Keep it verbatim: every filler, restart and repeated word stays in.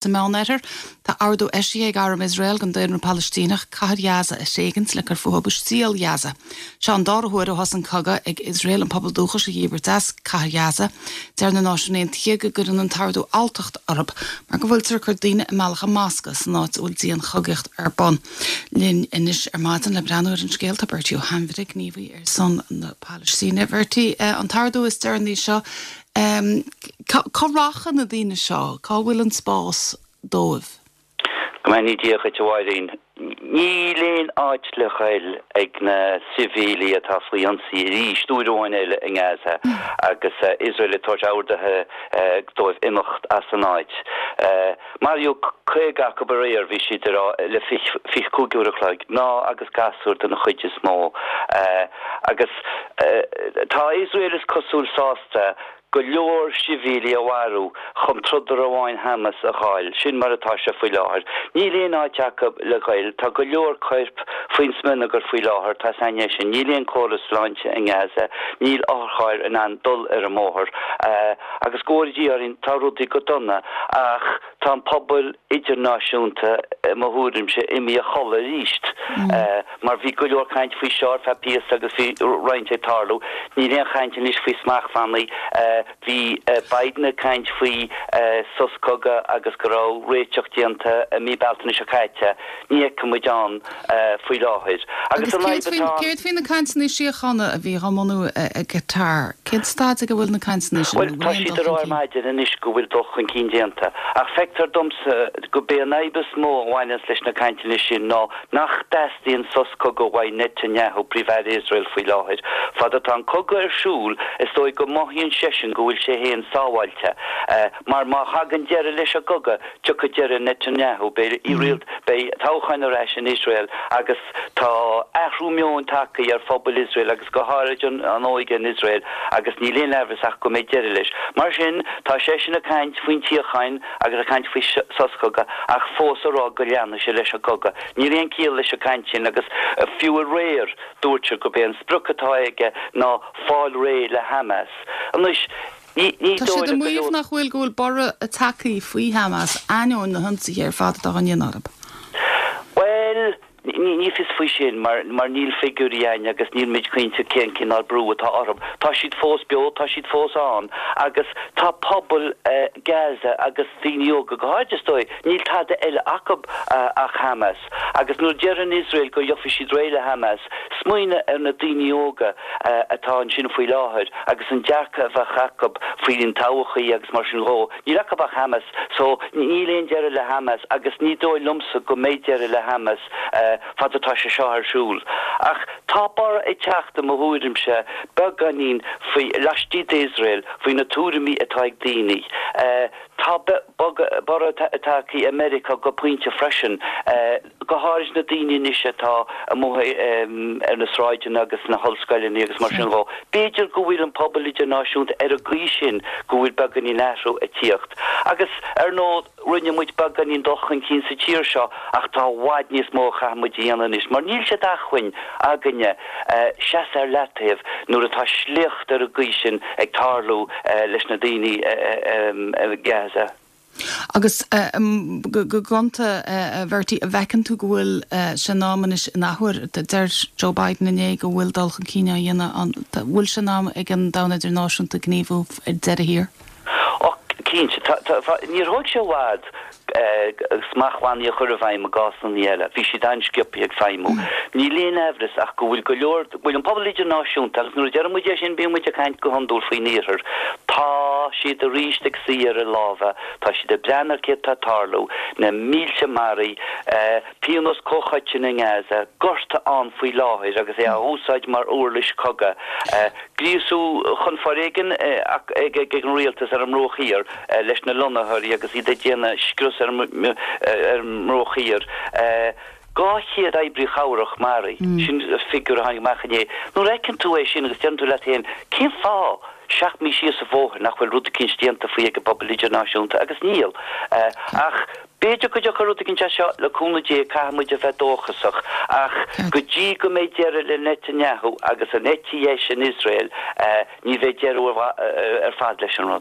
Sa Meánoirthear, tá ordú eisithe ag arm Iosrael don daonra Palaistíneach cathair Ghaza a thréigint le cur fúthu i Stiall Ghaza. Seo an dara huair ó thosaigh an cogadh ag Iosrael an pobal dúchais a dhíbirt as cathair Ghaza. Deir na Náisiúin Aontaithe go gcuireann an t-ordú alltacht orthu mar go bhfuiltear ag cur daoine i mbealach a mbasctha san áit a bhfuil dianchogaíocht ar bun. Linn anois ar maidin le breathnú ar an scéal tá Bertie Ó hAinmhire, gníomhaí ar son na Palaistíne. Bertie, an t-ordú is deireanaí seo Um, cá rachaidh na daoine seo, cá bhfuil an spás dóibh? Go mbeannaí Dia dhuit a Mháirín. Níl aon áit le ghoil ag na sibhialaigh atá faoi ionsaí arís uair amháin eile i nGaza agus Iosrael ag tabhairt orduithe dóibh imeacht as an áit. Maraíodh caoga acu aréir bhí siad ar le fiche cúig uair a chloig, mná agus gasúir den chuid is mó. Agus tá Iosrael is cosúil sásta go leor sibhialaigh a mharú chun trodaire amháin Hamas a fháil, sin mar atá sé faoi láthair. Níl aon áit acu le ghoil, tá go leor coirp faoin smionagar faoi láthair, tá san sin, níl aon córas sláinte i nGaza, níl otharchairr in ann dul ar an mbóthar. Agus go bhfóire Dia orainn tá rudaí go dona ach tá an pobal idirnáisiúnta i mo thuairimse imithe a chodladh arís. Mar bhí go leor caint faoi seo ar feadh píosa agus bhí roinnt ag tarlú. Níl aon chaint anois faoi smachtbhannaí. Bhí Biden ag caint faoi sos cogaidh agus go raibh réiteach déanta i mí Bealtaine seo caite. Ní fheicim muid ann faoi láthair. Agus céard faoi na cainteanna síochána a bhí á mbunú ag Qatar? Cén staid ag a bhfuil na cainteanna sin? Bhuel, tá siad ag rá ar maidin anois go bhfuil dul chun cinn déanta. Ach feictear domsa go b'é an fhadhb is mó a bhaineanns leis na cainteanna sin ná nach dteastaíonn sos cogaidh uaidh Netanyahu, Príomh-Aire Iosrael faoi láthair. Fad atá an cogadh ar siúl, is dóigh go mothaíonn seisean go bhfuil sé féin sábháilte. Mar má thagann deireadh leis an gcogadh, tiocfaidh deireadh Netanyahu, beidh beidh toghcháin ar ais in Iosrael agus tá athrú meoin tagtha ar phobal Iosrael agus go háirid an an óige in Iosrael agus níl aon amhras ach go mbeidh deireadh leis. Mar sin, tá seisean ag caint faoin tsíocháin agus ag caint faoi sos cogaidh ach fós ag rá go leanfaidh sé leis an gcogadh. Níl aon chiall leis an gcaint sin agus fiú aréir dúirt sé gurb é an sprioc atá aige ná fáil réidh le Hamas. Anois, ní ní Tá siad dóigh ag le go maíomh leor nach bhfuil go bhfuil borradh tagtha faoi Hamas ainneoin na hionsaithe ar fad atá á ndéanamh orthu. Well, ní ní fios faoi sin mar mar níl figiúirí againn agus níl muid cinnte cén cineál brú atá orthu. Tá siad fós beo, tá siad fós ann agus tá pobal uh, Gaza agus daoine óga go háirid is dóigh, níl tada eile acu uh, ach Hamas. Agus nuair a deireann Israel go gheobhaidh siad réidh le Hamas, smaoinigh ar na daoine óga uh, atá ansin faoi láthair agus an dearcadh a bheadh acu faoin todhchaí agus mar sin dhó. Níl acu ach Hamas, so níl aon deireadh le Hamas agus ní dóigh liomsa go mbeidh deireadh le Hamas uh, fad atá sé seo ar siúl. Ach tá borradh ag teacht i mo thuairimse beagáinín faoi laistigh d'Iosrael faoi na tuairimí atá ag daoine. Uh, tá borradh tagtha i Meiriceá go pointe freisin uh, go háirid na daoine anois atá amuigh um, ar na sráideanna agus na hollscoileanna agus mar sin dhó. B'fhéidir go bhfuil an pobal idirnáisiúnta ar an gcaoi sin go bhfuil beagáinín athrú ag tíocht. Agus ar ndóigh rinne muid beagáinín dul chun cinn sa tír seo ach tá i bhfad níos mó a chaithfidh muid a dhéanamh anois, mar níl sé d'acmhainn againne uh, seasamh ar leataobh nuair atá sliocht ar an gcaoi sin ag tarlú uh, leis na daoine uh, um, uh, Gaza. Agus um, go go gonta uh, Bhertie an bhfeiceann tú go bhfuil uh, sé in am anois in athuair deir Joe Biden inné go bhfuil dul chun cinn á dhéanamh an bhfuil sé in am ag an domhan idirnáisiúnta gníomhú ar deireadh thiar. Och cinnte níor thóg sé i bhfad smachtbhannaí a chur i bhfeidhm i gcásanna eile, bhí siad an-sciobtha ag feidhmiú. Níl aon amhras ach go bhfuil go leor bhfuil an pobal idirnáisiúnta agus nuair a deir muid é sin bíonn muid ag caint go hiondúil faoin iarthar. Tá siad arís ag suí ar a lámha, tá siad ag breathnú ar céard atá ag tarlú na mílte maraithe, uh, pionós comhchoiteann i nGaza, gorta ann faoi láthair agus é á úsáid mar uirlis cogaidh. Uh, gríosú chun foréigin uh, ag ag an rialtas ar an mBruach Thiar uh, leis na lonnaitheoirí agus iad ag déanamh scrios ar ar an mBruach Thiar. Uh, Dhá chéad oibrí cabhrach maraithe mm. sin figiúr a tháinig amach inné. Nuair a fheiceann tú é sin agus deireann tú leat féin cén fáth seacht mí síos an bóthar nach bhfuil rud éicint déanta faoi ag an bpobal idirnáisiúnta agus níl. Uh, ach b'fhéidir go dtiocfaidh rud éicint seo le cúnamh Dé caithfidh muid a bheith dóchasach ach go dtí go mbeidh deireadh le Netanyahu agus an eite dheis in Israel uh, ní bheidh deireadh ar fad leis an rud.